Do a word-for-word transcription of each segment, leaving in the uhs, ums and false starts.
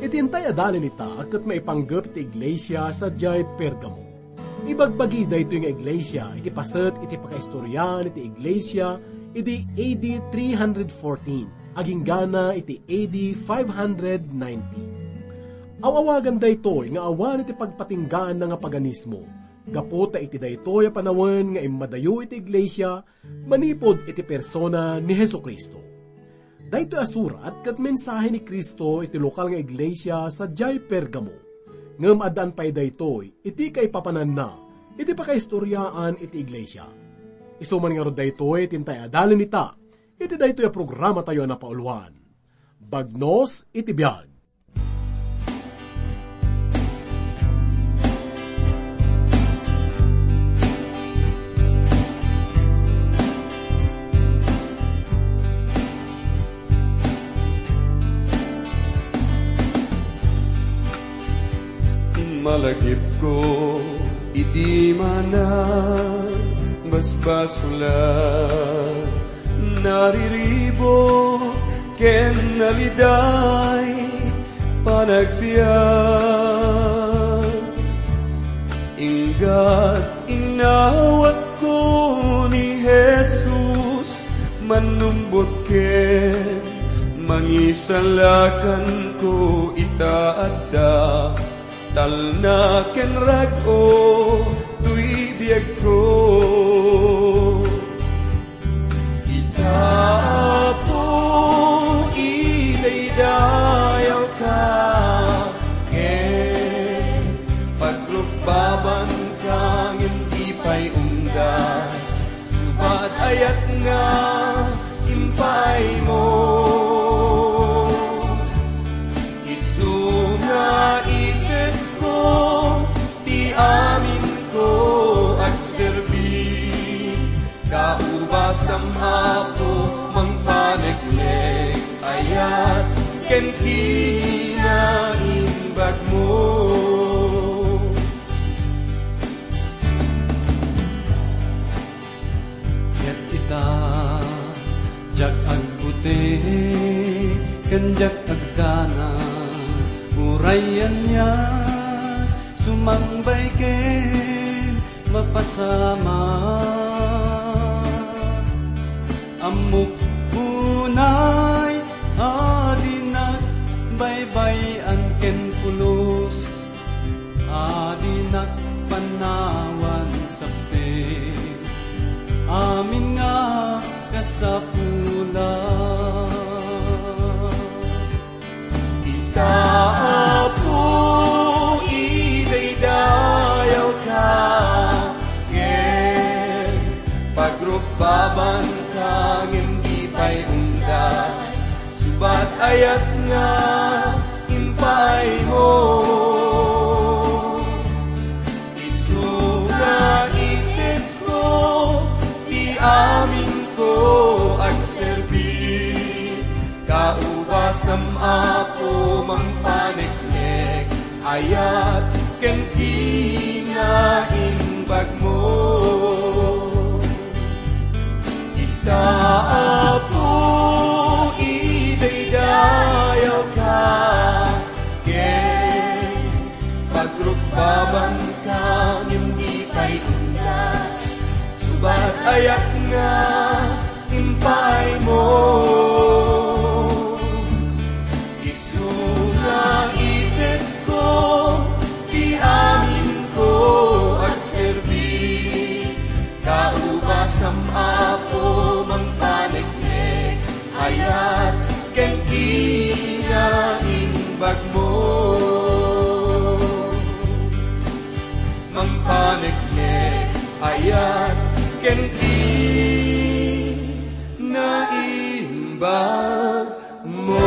Iti intay a dalin ita ket maipanggep iti iglesia sadiay Pergamo. Ibagbagi daytoy nga iglesia iti paset iti pakaistoriaan iti iglesia idi A D three hundred fourteen agingga iti A D five hundred ninety. Aw-awagan daytoy nga awan iti pagpatinggaanna nga paganismo, gapu ta iti daytoy a panawen nga immadayo iti iglesia manipud iti persona ni Jesu-Cristo. Daytoy a surat ket mensahe ni Cristo iti lokal nga iglesia sadiay Pergamo. Ngem addaan pay daytoy iti kaipapananna iti pakaistoriaan iti iglesia. Isu man ngarud daytoy ti intay a dalin ita iti daytoy a programatayo a napauluan. Bagnos iti biag. Malagipko iti manang basbasulan, nariribuk ken naliday panagbiag. Inggat inawatko ni Jesus, mannumbot ken mangisalakanko ita adda. Talna ken rag-o toy biagko. Ita, Apo, idaydayawka, ken pagrukbabanka ngem di pay unggas. Subat ayat nga impaaymo, isu nga itedko ti aminko agserbi. Kaubasam, Apo, mangpaneknek, ayat ken kinaimbagmo. Ket ita, diak agbuti ken diak agdanag, uray ania sumangbay ken mapasamak. Ammok unay a dinak baybay-an ken pulos, a dinak panawan sabte, amin nga kasapulan. Ita, Apo, idaydayawka, ken pagrukbabanka ngem di pay unggas. Subat ayat nga impaaymo, isu nga itedko ti aminko agserbi. Kaubasam, Apo, mangpaneknek, ayat ken kinaimbagmo. Ita, Apo, idaydayawka, ken pagrukbabanka ngem di pay unggas. Subat ayat nga impaaymo, isu nga itedko ti aminko agserbi. Kaubasam, Apo, mangpaneknek, ayat ken kinaimbagmo. Mangpaneknek, ayat ken kinaimbagmo.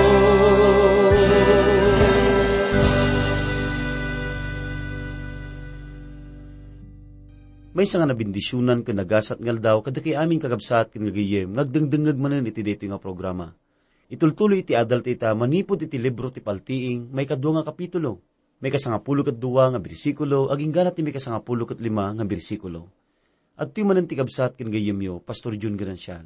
Maysa nga nabendisionan ken nagasat nga aldaw kadagiti amin, kakabsat ken gagayyem nga agdengdengngeg manen iti daytoy nga programa. Itultuloy iti adal ta ita manipud iti libro ti Paltiing, maikadua nga kapitulo, maikasangapulo ket dua nga bersikulo, agingga ti maikasangapulo ket lima nga bersikulo. Adtoy manen ti kabsat ken gayyemyo, Pastor Jun Ganancial,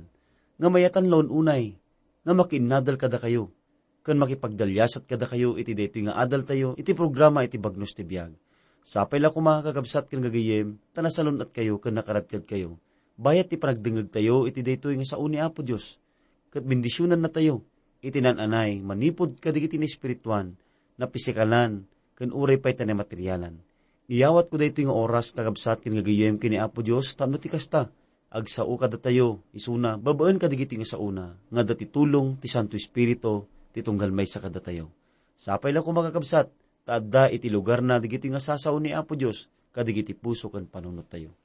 nga mayatan la un-unay nga makiinnadal kadakayo ken makipagdaliasat kadakayo iti daytoy nga adaltayo iti programa iti Bagnos ti Biag. Sapay la koma, kakabsat ken gagayyem, ta nasalun-atkayo ken nakaradkadkayo bayat ti panagdengngegtayo iti daytoy nga sao ni Apo Dios, ket bendisionannatayo iti naan-anay manipud kadagiti naespirituan, napisikalan, ken uray pay ta namaterialan. Iyawatko daytoy nga oras, kakabsat ken gagayyem, ken ni Apo Dios tapno ti kasta, agsao kadatayo isuna babaen kadagiti nga saona nga adda ti tulong ti Santo Espiritu ti tunggal maysa kadatayo. Sapay la koma, kakabsat, ta adda iti lugarna dagiti nga sasao ni Apo Dios kadagiti puso ken panunottayo.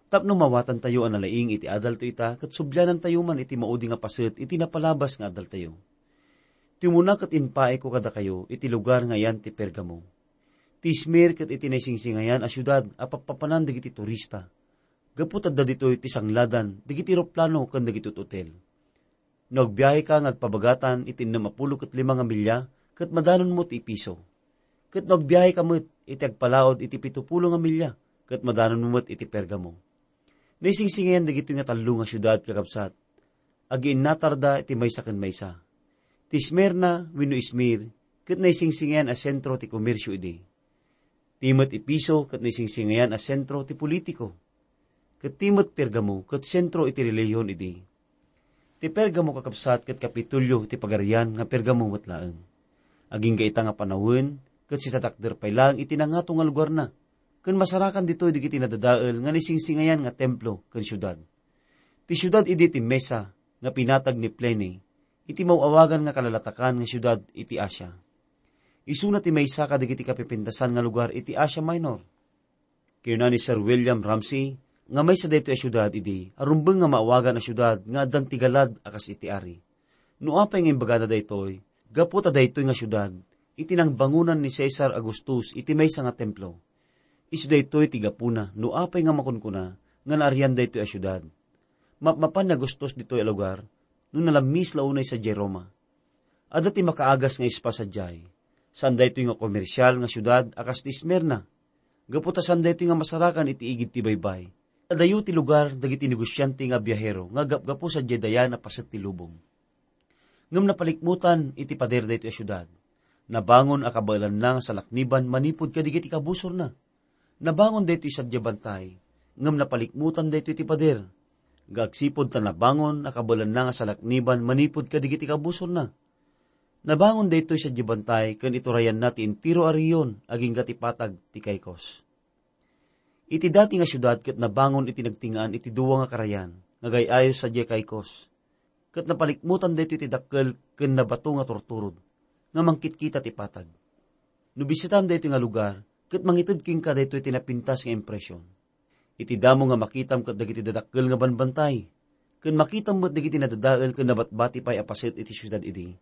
Tapno mawatantayo a nalaing iti adalto ita, ket sublianantayo man iti maudi nga paset iti napalabas nga adaltayo. Ti umuna ket impaayko kadakayo iti lugar nga ayan ti Pergamo. Ti Esmir ket iti naisingsingayan a siudad a pappapanan dagiti turista, gapu ta adda ditoy ti sangladan dagiti eroplano ken dagiti hotel. No agbiaheka nga agpabagatan iti ennem a pulo ket lima nga milya, ket madanonmo ti Efiso. Ket no agbiaheka met iti agpalaod iti pito pulo nga milya, ket madanonmo met iti Pergamo. Naisingsingayan dagitoy nga tallo nga siudad, kakabsat, agiinnatarda iti maysa ken maysa. Ti Esmirna wenno Esmir ket naisingsingayan a sentro ti komersio idi. Ti met Efiso ket naisingsingayan a sentro ti politiko, ket ti met Pergamo ket sentro iti relihion idi. Ti Pergamo, kakabsat, ket kapitulyo ti pagarian nga Pergamo met laeng. Agingga ita nga panawen, ket sisatakder pay laeng iti nangato nga lugarna, ken masarakan ditoy dagiti nadadael nga naisingsingayan nga templo ken siudad. Ti siudad idi ti Mesa nga pinatag ni Pliny, iti maw-awagan nga kalalatakan nga siudad iti Asia. Isuna ti maysa kadagiti kapipintasan nga lugar iti Asia Minor. Kinuna ni Sir William Ramsay nga maysa daytoy a siudad idi a rumbeng nga maawagan a siudad nga addan ti galad a kas iti ari. No apay nga imbagana daytoy, gapu ta daytoy nga siudad, iti nangbangonan ni Cesar Augustus iti maysa nga templo. Isu daytoy ti gapuna no apay nga makunkuna nga naarian daytoy a siudad. Mapmapan ni Augustus ditoy a lugar no nalammis la unay sadiay Roma. Adda ti makaagas nga ispa sadiay. Saan daytoy nga komersial nga siudad a kas ti Esmirna, gapu ta saan daytoy nga masarakan iti igid ti baybay. Adayo ti lugar dagiti negosiante nga biahero nga gapgapu sadiay dayan a paset ti lubong. Ngem napalikmutan iti pader daytoy a siudad. Nabangon a kabaelanna nga salakniban manipud kadagiti kabusorna. Nabangon daytoy sadiay bantay, ngem napalikmutan daytoy ti pader. Nga agsipud ta nabangon a kabaelanna nga salakniban manipud kadagiti kabusorna. Nabangon daytoy sadiay bantay ken iturayanna ti entero a rehiyon agingga ti patag ti Caicos. Iti dati nga siudad ket nabangon iti nagtingaan iti dua nga karayan nga gay-ayo sadiay Caicos, ket napalikmutan daytoy ti dakkel ken nabato nga turturod nga mangkitkita ti patag. No bisitaam daytoy nga lugar, ket mangited kenka daytoy ti napintas nga impresion. Iti damo nga makitam ket dagiti dadakkel nga banbantay, ken makitam met dagiti nadadael ken nabatbati pay a paset iti siudad idi.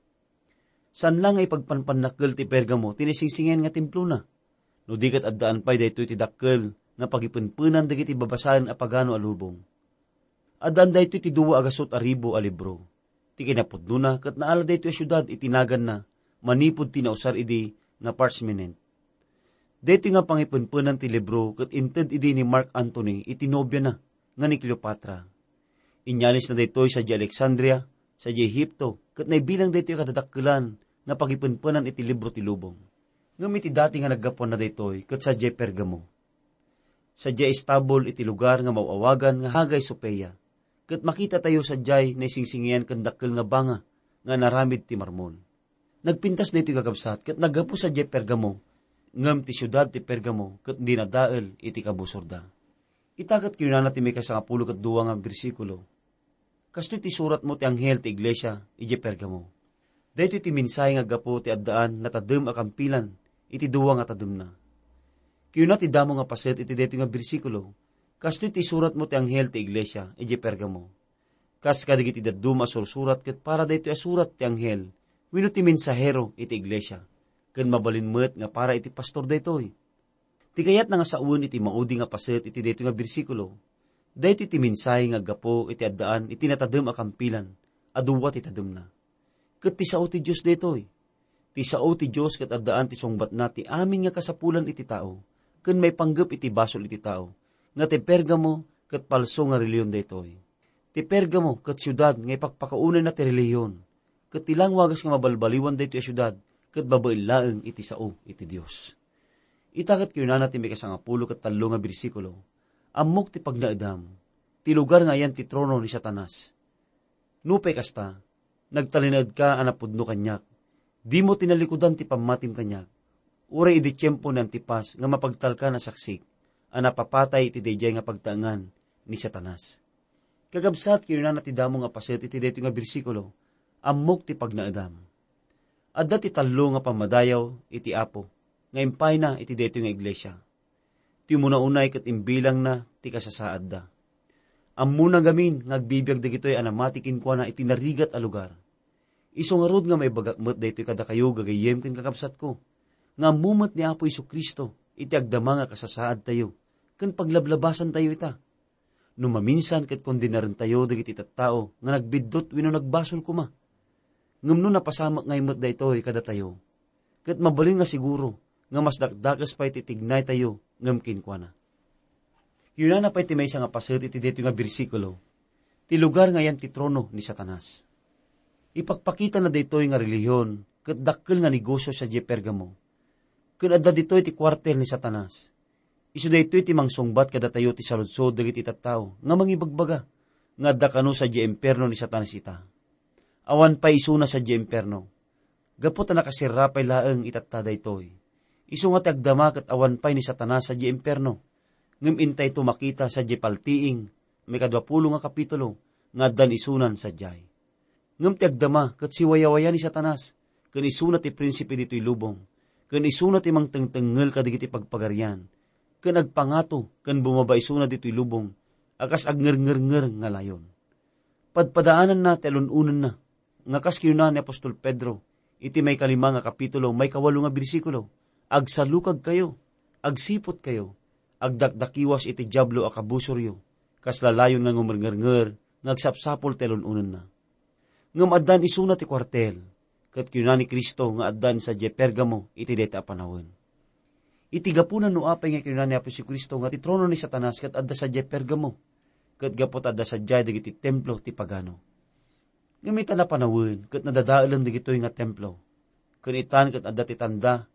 Saan la nga ipagpanpannakkel ti Pergamo ti naisingsingayan nga templona, no di ket addaan pay daytoy ti dakkel nga pagipenpenan dagiti babasaen a pagano a lubong. Addaan daytoy ti dua a gasut a ribu a libro. Ti kinapudnona ket naala daytoy a siudad iti naganna manipud ti nausar idi nga parchment. Daytoy nga pangipenpenan ti libro ket inted idi ni Mark Antony iti nobiana nga ni Cleopatra. Inyalisna daytoy sadiay Alexandria, sadiay Egipto, ket naibilang daytoy a kadadakkelan nga pagipenpenan iti libro ti lubong. Ngem iti dati nga naggapuanna daytoy ket sadiay Pergamo. Sadiay estabul iti lugar nga maw-awagan nga Hagia Sophia, ket makitatayo sadiay naisingsingayan ken dakkel nga banga nga inaramid ti marmol. Nagpintas daytoy, kakabsat, ket naggapu sadiay Pergamo, ngem ti siudad ti Pergamo ket dinadael iti kabusorda. Ita ket kinunana ti maikasangapulo ket dua nga bersikulo, "Kastoy ti suratmo ti anghel ti iglesia idiay Pergamo. Daytoy ti mensahe nga aggapu ti addaan natadem a kampilan iti dua nga tademna." Kinuna ti damo nga paset iti daytoy nga bersikulo, "Kastoy ti suratmo ti anghel ti iglesia idiay Pergamo. Kas kadagiti dadduma a sursurat ket para daytoy a surat ti anghel wenno ti mensahero iti iglesia, ken mabalin met nga para iti pastor daytoy." Ti kayatna nga sawen iti maudi nga paset iti daytoy nga bersikulo, daytoy ti mensahe nga aggapu iti addaan iti natadem a kampilan a dua ti tademna. Ket ti sao ti Dios daytoy. Ti sao ti Dios ket addaan ti sungbatna ti amin nga kasapulan iti tao, ken maipanggep iti basol iti tao, nga ti Pergamo ket palso nga relihiyon daytoy. Ti Pergamo ket siudad nga ipakpakaunayna ti relihiyon, ket ti langwagas nga mabalbaliwan daytoy a siudad ket babaen laeng iti sao iti Dios. Ita ket kinunana ti maikasangapulo ket tallo nga bersikulo, "Ammok ti pagnaedam, ti lugar nga ayan ti trono ni Satanas. Nupay kasta, nagtalinaedka a napudno kaniak. Dimo tinalikudan ti pammatim kaniak, uray idi tiempo ni Antipas nga mapagtalkan a saksik a napapatay iti daydiay nga pagtaengan ni Satanas." Kakabsat, kinunana ti damo nga paset iti daytoy nga bersikulo, "Ammok ti pagnaedam." Adda ti tallo nga pammadayaw iti Apo nga impayna iti daytoy nga iglesia. Ti umuna-unay ket imbilangna ti kasasaadda. Ammona ngamin nga agbibiag dagitoy a namati kenkuana iti narigat a lugar. Isu ngarud nga maibagak met daytoy kadakayo, gagayyem ken kakabsatko, nga ammo met ni Apo Jesu-Cristo iti agdama nga kasasaadtayo ken paglablabasantayo ita. No maminsan ket kondenarentayo dagiti tattao nga nagbiddut wenno nagbasol koma. Ngem no napasamak ngay met daytoy kadatayo, ket mabalin nga siguro nga mas dakdakes pay ti tignaytayo ngem kenkuana. Kinunana pay ti maysa nga paset iti daytoy nga bersikulo, "Ti lugar nga ayan ti trono ni Satanas." Ipakpakitana daytoy nga relihiyon ket dakkel nga negosio sadiay Pergamo. Ken adda ditoy ti kuartel ni Satanas. Isu daytoy ti mangsungbat kadatayo ti saludsod dagiti tattao nga mangibagbaga nga adda kano sadiay impierno ni Satanas ita. Awan pay isuna sadiay impierno. Gapu ta nakaserra pay laeng itatta daytoy. Isu nga ti agdama ket awan pay ni Satanas sadiay impierno. Ngem intayto makita sadiay Paltiing, maikadua pulo nga kapitulo, nga addan isunan sadiay. Ngem ti agdama ket siwayawaya ni Satanas, ken isuna ti prinsipe ditoy lubong, ken isuna ti mangtengtengngel kadagiti pagpagarian, ken agpangato ken bumaba isuna ditoy lubong a kas agnerngernger nga layon. Padpadaananna ti alun-onenna, nga kas kinuna ni apostol Pedro iti maikalima nga kapitulo, maikawalo nga bersikulo, "Agsalukagkayo, agsiputkayo, agdakdakiwas iti Diablo a kabusoryo, kas lalayon nga ngumerngernger nga agsapsapul ti alun-onenna." Ngem addan isuna ti kuartel, ket kinuna ni Cristo nga addan sadiay Pergamo iti dayta a panawen. Iti gapuna no apay nga kinuna ni Apo Jesu-Cristo nga ti trono ni Satanas ket adda sadiay Pergamo, ket gapu ta adda sadiay dagiti templo ti pagano. Ngem ita napanawen ket nadadaelen dagitoy nga templo, ken itan ket adda ti tanda,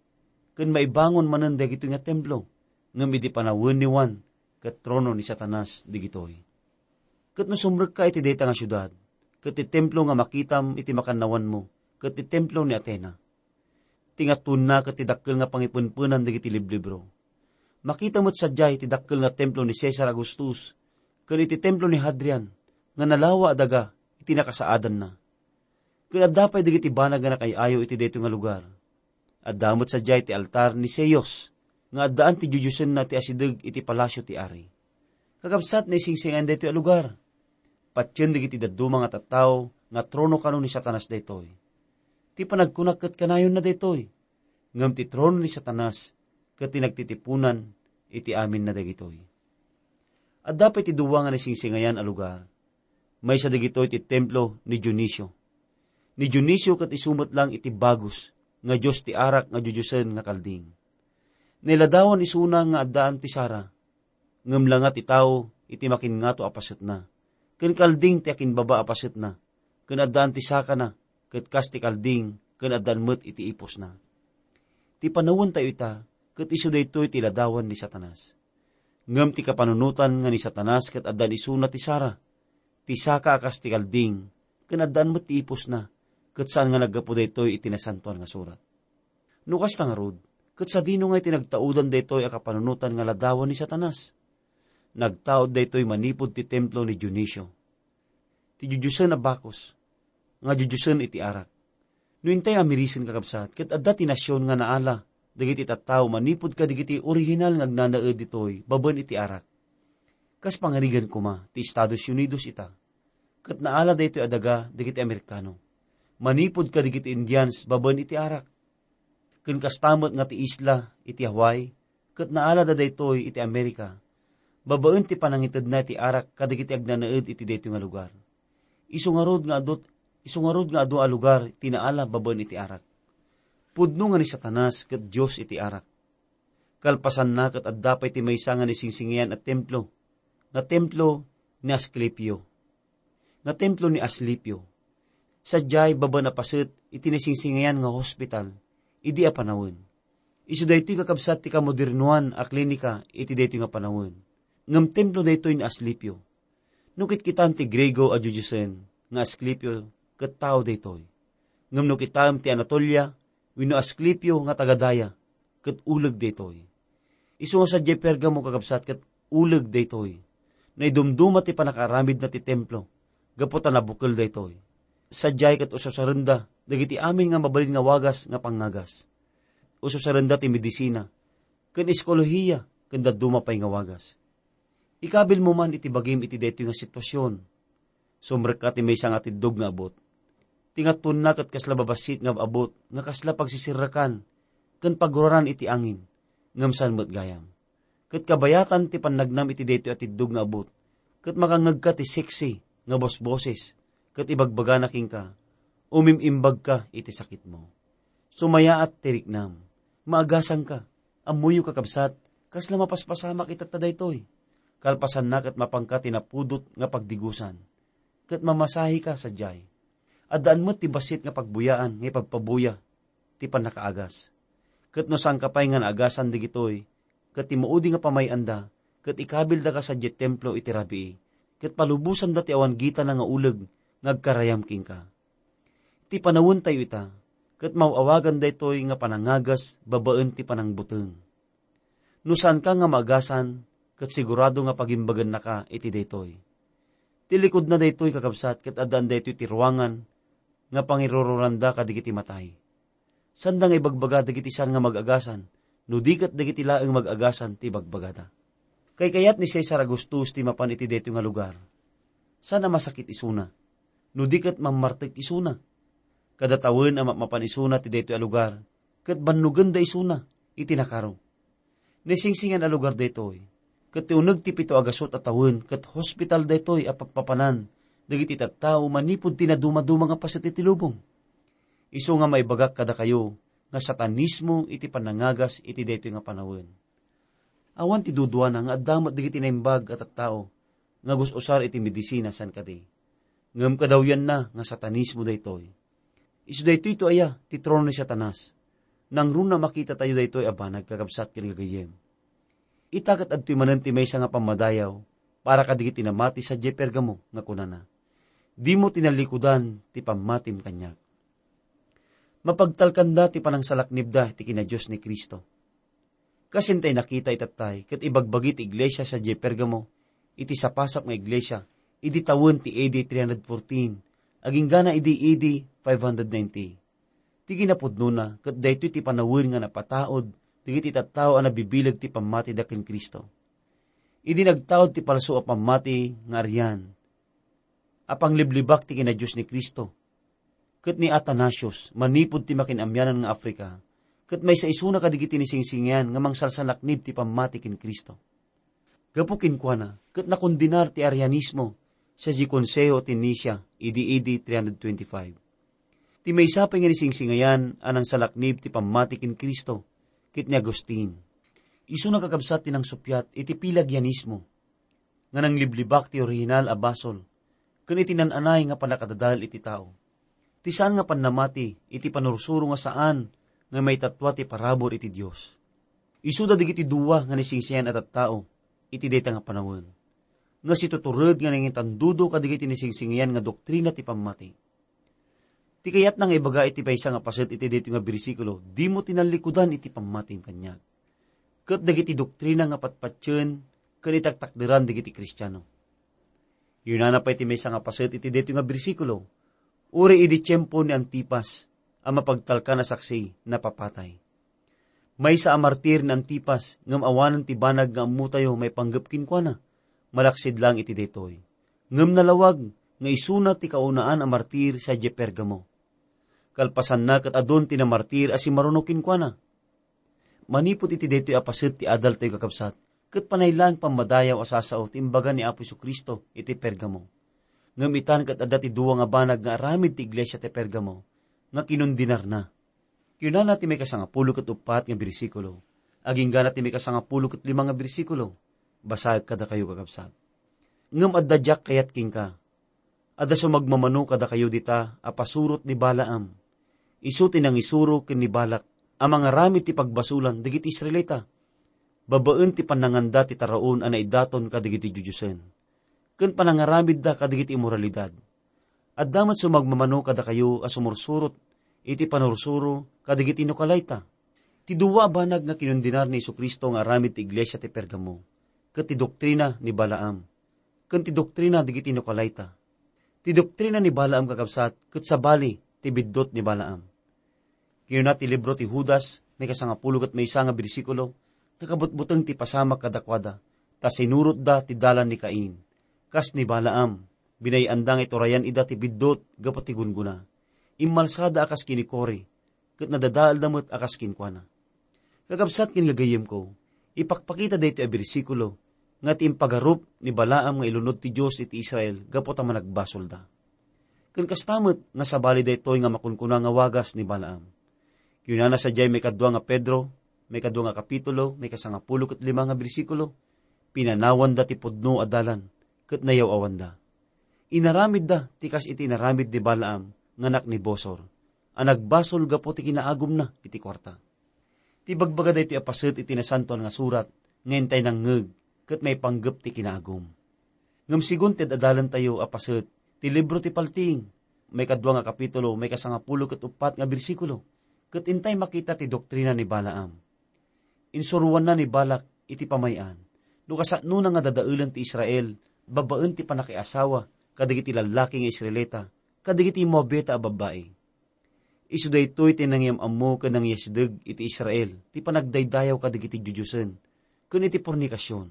ken maibangon manen dagitoy nga templo, ngem idi panawen ni Juan, ket trono ni Satanas dagitoy. Ket no sumrekka iti dayta nga siudad, ket ti templo nga makitam iti makannawanmo, ket ti templo ni Atena. Ti ngatoenna ket ti dakkel nga pangipenpenan dagiti liblibro. Makita met sadiay ti dakkel nga templo ni Cesar Augustus, ken iti templo ni Hadrian, nga nalawa a daga iti nakasaadanna. Ken adda pay dagiti banag nga nakaay-ayo iti daytoy nga lugar. Adda met sadiay ti altar ni Zeus, nga addaan ti diodiosenna ti asideg iti palasio ti ari. Kakabsat, naisingsinggan daytoy a lugar. Patien dagiti dadduma nga tattao nga trono kano ni Satanas daytoy. Ti panagkunak ket kanayonna daytoy, ngem ti trono ni Satanas ket ti nagtitipunan iti aminna dagitoy. Adda pay ti dua nga naisingsingayan a lugar. Maysa dagitoy ti templo ni Dionisio. Ni Dionisio ket isu met lang iti bagus nga dios ti arak nga diodiosen nga kalding. Nailadawan isuna nga addaan ti sara, ngem langa ti tao iti makinngato a pasetna, ken kalding ti akinbaba a pasetna, ken addaan ti sakana, ket kas ti kalding, ken addaan met iti iposna. Ti panawentayo ita, ket isu daytoy ti ladawan ni Satanas. Ngem ti kapanunotan nga ni Satanas ket addaan isuna ti sara, ti saka a kas ti kalding, ken addaan met ti iposna, ket saan nga naggapu daytoy iti Nasantoan nga Surat. No kasta ngarud, ket sadino nga iti nagtaudan daytoy a kapanunotan nga ladawan ni Satanas? Nagtaud daytoy manipud ti templo ni Dionisio, ti diodiosen a Bacchus, nga diodiosen iti arak. No intay a mirisen, kakabsat, ket adda ti nasion nga naala dagiti tattao manipud kadagiti orihinal nga agnanaed ditoy babaen iti arak. Kas pangarigan koma ti Estados Unidos ita, ket naala daytoy a daga dagiti Amerikano manipud kadagiti Indians babaen iti arak. Ken kasta met nga ti isla iti Hawaii, ket naalada daytoy iti Amerika, babaen ti panangitedna iti arak kadagiti agnanaed iti daytoy nga lugar. Isu ngarud nga adu, isu ngarud nga adu a lugar ti naala babaen iti arak. Pudno nga ni Satanas ket dios iti arak. Kalpasanna ket adda pay ti maysa nga naisingsingayan a templo. nga templo ni Asclepio. Nga templo ni Asclepio. Sadiay babaen a paset iti nasingsingayan nga hospital idi a panawen. Isu daytoy kakabsat ti kamodernoan a klinika iti daytoy nga panawen. Ngem templo daytoy ni Asclepio. No kitkitaem ti Griego a diodiosen nga Asclepio ket tao daytoy. Ngem no kitaem ti Anatolia wenno Asclepio nga taga-daya ket uleg daytoy. Isu nga sadiay Pergamo kakabsat ket uleg daytoy. Naidumduma ti pannakaaramidna ti templo gapu ta nabukel daytoy. Sadiay ket ususarenda dagiti amin nga mabalin nga wagas nga pangngagas. Ususarenda ti medisina ken eskolohiya ken dadduma pay nga wagas. Ikabilmo man iti bagim iti daytoy nga sitwasion. Sumrekka ti maysa nga atiddog nga abut. Ti ngatonna ket kasla babassit nga abut nga kasla pagsisirrekan ken paguraran iti angin, ngem saan met gayam. Ket kabayatan ti pannagnam iti daytoy atiddog nga abut, ket makangngegka ti seksi nga bosboses, ket ibagbagana kenka, "Umim-imbagka iti sakitmo." Sumayaat ti riknam. Maagasanka. Ammoyo, kakabsat, kasla mapaspasamak itatta daytoy. Kalpasanna ket mapanka ti napudot nga pagdigusan. Ket mamasahika sadiay. Addaan met ti bassit nga pagbuyaan nga ipagpabuya ti pannakaagas. Ket no saanka pay nga naagasan dagitoy, ket ti maudi nga pamay-anda, ket ikabildaka sadiay templo iti rabii, ket palubosanda ti awan gitana nga uleg nga agkarayam kenka. Ti panawentayo ita, ket maaw-awagan daytoy nga panangagas babaen ti panangbuteng. No saanka nga maagasan, ket sigurado nga pagimbagennaka iti daytoy. Ti likudna daytoy, kakabsat, ket addaan daytoy ti ruangan nga pangirururanda kadagiti matay. Sanda nga ibagbaga dagiti saan nga mag-agasan, no di ket dagiti laeng mag-agasan ti ibagbagada. Kaykayat ni Cesar Augustus ti mapan iti daytoy nga lugar. Saan a masakit isuna, no di ket mammartek isuna. Kada tawen a mapmapan isuna ti daytoy a lugar, ket bannogenda isuna iti nakaro. Naisingsingayan a lugar daytoy, ket ti uneg ti pito a gasut a tawen ket hospital daytoy a pappapanan dagiti tattao manipud ti nadumaduma nga paset iti lubong. Isu nga maibagak kadakayo nga satanismo iti panangagas iti daytoy nga panawen. Awan ti duduana nga adda met dagiti naimbag a tattao nga gus-usar iti medisina saan kadi. Ngem kadawyanna nga satanismo daytoy. Isu daytoy to aya ti trono ni Satanas. Nangruna a makitatayo daytoy a banag, kakabsat ken gagayyem. Ita ket adtoy manen ti maysa nga pammadayaw para kadagiti namati sadiay Pergamo nga kunana, "Dimo tinallikudan ti pammatim kaniak." Mapagtalkanda ti panangsalaknibda ti kinadios ni Cristo. Kas intay nakita itattay ket ibagbagi ti iglesia sadiay Pergamo iti sapasap nga iglesia idi tawen ti A D three hundred fourteen, aginggana idi A D five hundred ninety. Ti kinapudnona ket daytoy ti panawen nga napataud dagiti tattao a nabibileg ti pammatida ken Cristo. Idi nagtaud ti palso a pammati nga Arian, a pangliblibak ti kinadios ni Cristo, ket ni Athanasius manipud ti Makin-Amianan nga Africa, ket maysa isuna kadagiti naisingsingayan nga mangsalsalaknib ti pammati ken Cristo. Gapu kenkuana, ket nakondenar ti Arianismo sadiay Konseho ti Nicea idi A D three hundred twenty-five. Ti maysa pay nga naisingsingayan a nangsalaknib ti pammati ken Cristo, ket ni Agustin. Isuna, kakabsat, ti nangsuppiat iti Pelagianismo nga nangliblibak ti orihinal a basol ken iti nan-anay nga pannakadadael iti tao. Ti saan nga pannamati iti panursuro nga saan nga maitatua ti parabur iti Dios. Isuda dagiti dua nga naisingsingayan a tattao iti dayta nga panawen, nga situtured nga nangitandudo kadagiti naisingsingayan nga doktrina ti pammati. Ti kayatna nga ibaga iti maysa nga paset iti daytoy nga bersikulo, "Dimo tinallikudan iti pammatim kaniak." Ket dagiti doktrina nga patpatien ken itaktakderan dagiti Kristiano. Kinunana pay ti maysa nga paset iti daytoy nga bersikulo, "Uray idi tiempo ni Antipas a mapagtalkan a saksi, napapatay." Maysa a martir ni Antipas, ngem awanen ti banag nga ammotayo maipanggep kenkuana, malaksid laeng iti daytoy. Ngem nalawag nga isuna ti kaunaan a martir sadiay Pergamo. Kalpasanna ket adun ti namartir a simmaruno kenkuana. Manipud iti daytoy a paset ti adaltayo, kakabsat, ket panay laeng pammadayaw a sasao ti imbaga ni Apo Jesu-Cristo iti Pergamo. Ngem itan ket adda ti dua nga banag nga aramid ti iglesia ti Pergamo nga kinundenarna. Kinunana ti maikasangapulo ket uppat nga bersikulo, aginggana ti maikasangapulo ket lima nga bersikulo, basaek kadakayo, kakabsat. Ngem adda diak kayat kenka. Adda sumagmamano kadakayo dita a pasurot ni Balaam. Isu ti nangisuro ken ni Balak a mangaramid ti pagbasolan dagiti Israelita, babaen ti pannanganda ti taraon a naidaton kadagiti didiosen, ken panangaramidda kadagiti immoralidad. Adda met sumagmamano kadakayo a sumursurot iti panursuro kadagiti Nicolaita. Ti dua a banag nga kinundenar ni Jesu-Cristo nga aramid ti iglesia ti Pergamo, ket ti doktrina ni Balaam, ken ti doktrina dagiti Nicolaita. Ti doktrina ni Balaam, kakabsat, ket sabali ti biddut ni Balaam. Kinuna ti libro ti Judas, maikasangapulo ket maysa nga bersikulo, nakabutbuteng ti pasamak kadakuada, ta sinurotda ti dalan ni Cain. Kas ni Balaam, binay-anda nga iturayan ida ti biddut gapu ti gunggona. Immalsada a kas ken ni Core, ket nadadaelda met a kas kenkuana. Kakabsat ken gagayyemko, ipakpakita daytoy a bersikulo nga ti impagarup ni Balaam nga ilunod ti Dios iti Israel gapu ta managbasolda. Ken kasta met nga sabali daytoy nga makunkuna nga wagas ni Balaam. Kinunana sadiay maikadua nga Pedro, maikadua nga kapitulo, maikasangapulo ket lima nga bersikulo, "Pinanawanda ti pudno a dalan, ket nayaw-awanda. Inaramidda ti kas iti inaramid ni Balaam nga anak ni Bosor, a nagbasol gapu ti kinaagumna iti kuarta." Ti ibagbaga daytoy a paset iti Nasantoan nga Surat nga intay nangngeg ket maipanggep ti kinaagum. Ngem segun ti ad-adalentayo a paset ti libro ti Paltiing, maikadua nga kapitulo, maikasangapulo ket uppat nga bersikulo, ket intay makita ti doktrina ni Balaam. Insuroanna ni Balak iti pamay-an no kasanonan nga dadaelen ti Israel babaen ti pannakiasawa kadagiti lallaki nga Israelita kadagiti Moabita a babbai. Isu daytoy ti nangyam-ammo ken nangyasideg iti Israel ti panagdaydayaw kadagiti didiosen ken iti pornikasion.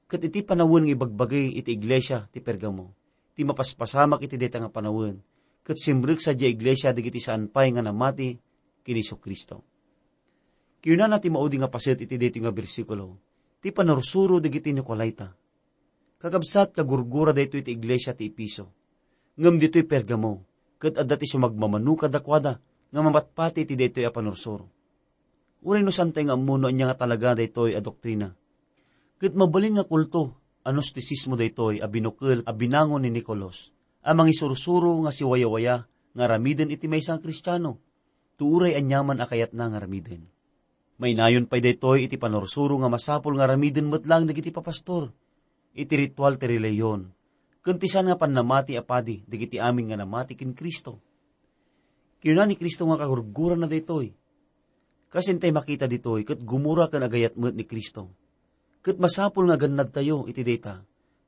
Ket iti panawen nga ibagbagi iti iglesia ti Pergamo ti mapaspasamak iti dayta nga panawen, ket simrek sadiay iglesia dagiti saan pay nga namati ken ni Jesu-Cristo. Kinunana ti maudi nga paset iti daytoy nga bersikulo, ti panursuro dagiti Nicolaita. Kakabsat, kagurgura daytoy ti iglesia ti Efeso. Ngem ditoy Pergamo, ket adda ti sumagmamano kadakuada nga mapatpati iti daytoy a panursuro. Uray no saantay nga ammo no ania nga talaga daytoy a doktrina. Ket mabalin nga kulto a Gnostisismo daytoy a binukel a binangon ni Nicolas a mangisursuro nga siwayawaya nga aramiden iti maysa nga Kristiano, ti uray aniaman a kayatna nga aramiden. Mainayon pay daytoy iti panursuro nga masapul nga aramiden met laeng dagiti papastor iti ritual ti relihiyon, ken ti saan nga pannamati a padi dagiti amin nga namati ken Cristo. Kinuna ni Cristo nga kagurgurana daytoy. Kas intay makita ditoy, ket gumura ken agayat met ni Cristo. Ket masapul nga agannadtayo iti dayta,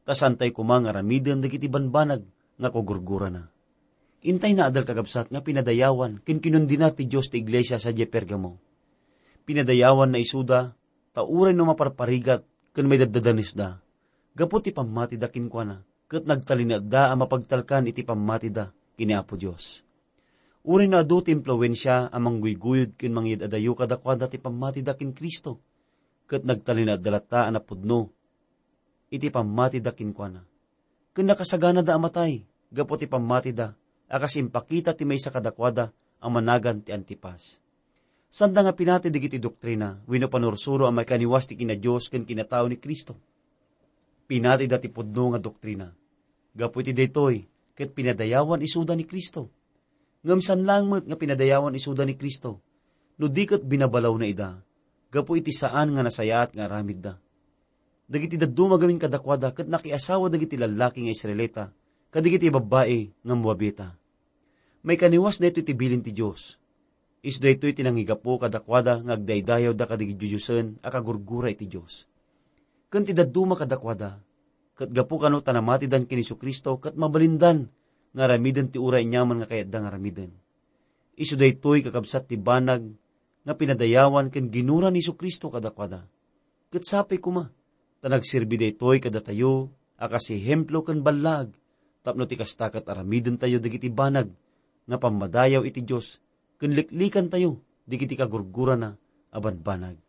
ta saantay koma nga aramiden dagiti banbanag nga kagurgurana. Intay naadal, kakabsat, nga pinadayawan ken kinundenar ti Dios ti iglesia sadiay Pergamo. Pinadayawanna isuda, ta uray no maparparigat ken maidaddadanesda gapu ti pammatida kenkuana, ket nagtalinaedda a mapagtalkan iti pammatida ken ni Apo Dios. Uray no adu ti impluensia a mangguyguyod ken mangyad-adayo kadakuada ti pammatida ken Cristo, ket nagtalinaedda latta a napudno iti pammatida kenkuana. Ken nakasaganada a matay gapu ti pammatida a kas impakita ti maysa kadakuada a managan ti Antipas. Saanda nga pinati dagiti doktrina wenno panursuro a maikaniwas ti kina-Dios ken kinatao ni Cristo. Pinatida ti pudno nga doktrina. Gapu iti daytoy, ket pinadayawan isuda ni Cristo. Ngem saan laeng met nga pinadayawan isuda ni Cristo, no di ket binabalawna ida, gapu iti saan nga nasayaat nga aramidda. Dagiti dadduma gamin kadakuada ket nakiasawa dagiti lallaki nga Israelita kadagiti babbai nga Moabita. Maikaniwas daytoy ti bilin ti Dios. Isu daytoy ti nangigapu kadakuada nga agdaydayawda kadagiti didiosen a kagurgura iti Dios. Ken ti dadduma kadakuada, ket gapu kano ta namatidan ken Jesu-Cristo ket mabalindan nga aramiden ti uray aniaman nga kayatda nga aramiden. Isu daytoy, kakabsat, ti banag nga pinadayawan ken ginura ni Jesu-Cristo kadakuada. Ket sapay koma, ta nagserbi daytoy kadatayo a kas ehemplo ken ballaag, tapno ti kasta ket aramidentayo dagiti banag nga pammadayaw iti Dios ken liklikantayo dagiti kagurgurana a banbanag.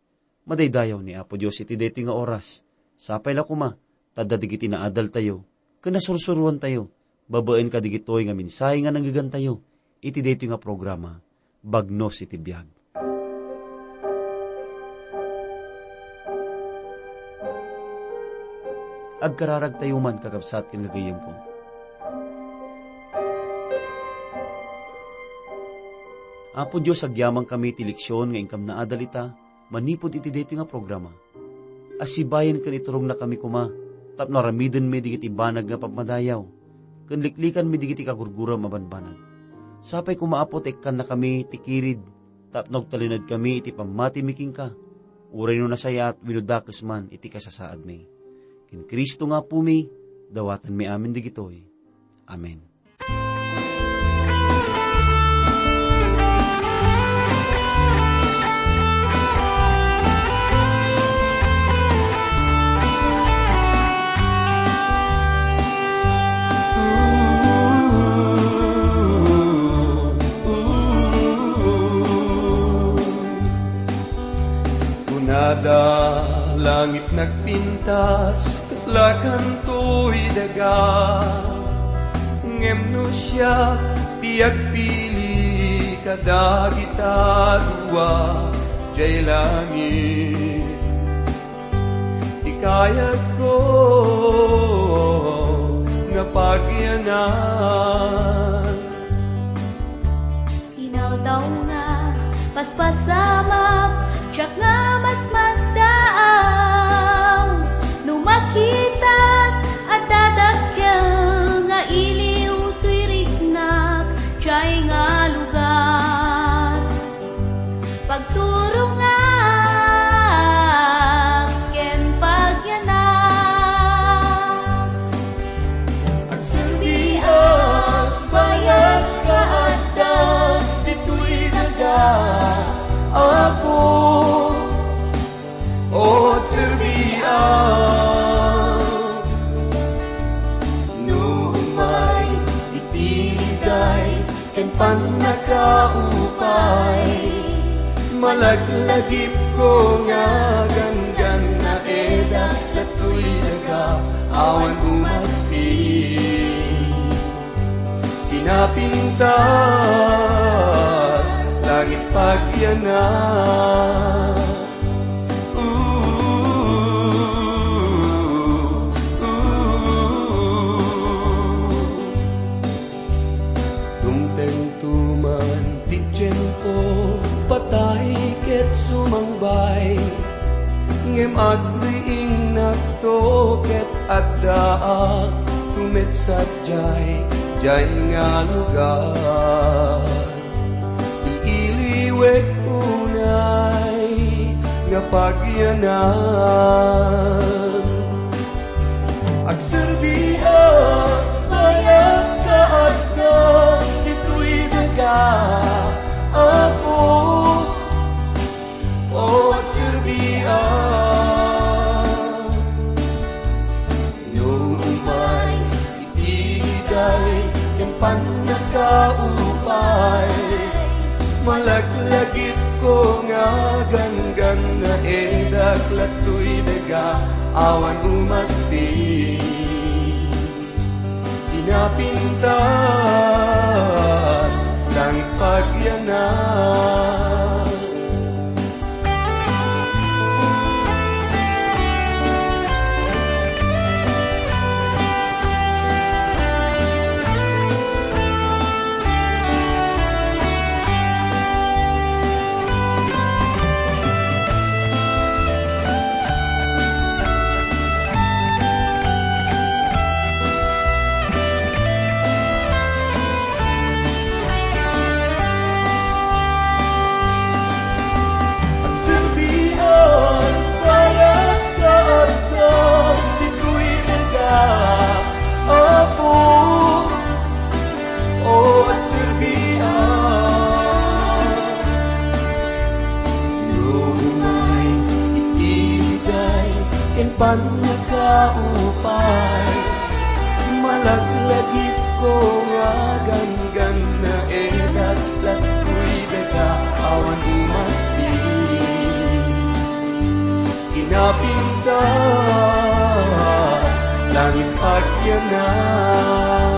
Madaydayaw ni Apo Dios iti daytoy nga oras. Sapay la koma, ta adda dagiti naadaltayo ken nasursuroantayo babaen kadagitoy nga mensahe nga nanggegantayo iti daytoy nga programa, Bagnos iti Biag. Agkararagtayo man, kakabsat ken gagayyemko. Apo Dios, agyamankami ti leksion nga inkam naadal ita manipud iti daytoy nga programa. Asibayen ken iturongnakami koma tapno aramidenmi dagiti banag nga pagmadayaw ken liklikanmi dagiti kagurguram a banbanag. Sapay koma, Apo, ta ikkannakami ti kirid tapno agtalinaedkami iti pammatimi kenka, uray no nasayaat wenno dakes man iti kasasaadmi. Ken Cristo nga Apomi, dawatenmi amin dagitoy. Amen. Kunada, langit nagpintas, kasla kantoy daga. Ngem no siak ti agpili kadagita dua jay langit, ti kayatko nga pagyanan. Inaldaw nga paspasamak, siak nga masmasdaaw. No makitak, adda dakkel nga iliw toy riknak, jay nga lugar. Pagturongak ken pagyanak. Agserbiak bayat nga adda ditoy daga, Apo. O, agserbiak no umay iti liday ken pannakaupay. Malaglagipko nga ganggannaedak datoy daga awan umasti. Pinapintas, langit pagyanak. Dumteng tuman ti tiempo, patay ket sumangbay. Ngem agriingnakto ket addaak tumetsat jay, jay nga lugar. Iiliwek unay nga pagyanan. Agserbiak, bayat nga adda ditoy daga, Apo. O, agserbiak. No umay iti liday ken pannakaupay, malaglagipko nga ganggannaedak datoy daga awan umasti. Pinapintas, langit pagyanak. Agserbiak, bayat nga adda ditoy daga, Apo. O, agserbiak. No umay iti liday ken pannakaupay, malaglagipko nga ganggannaedak datoy daga awan umasti. Pinapintas, langit pagyanak.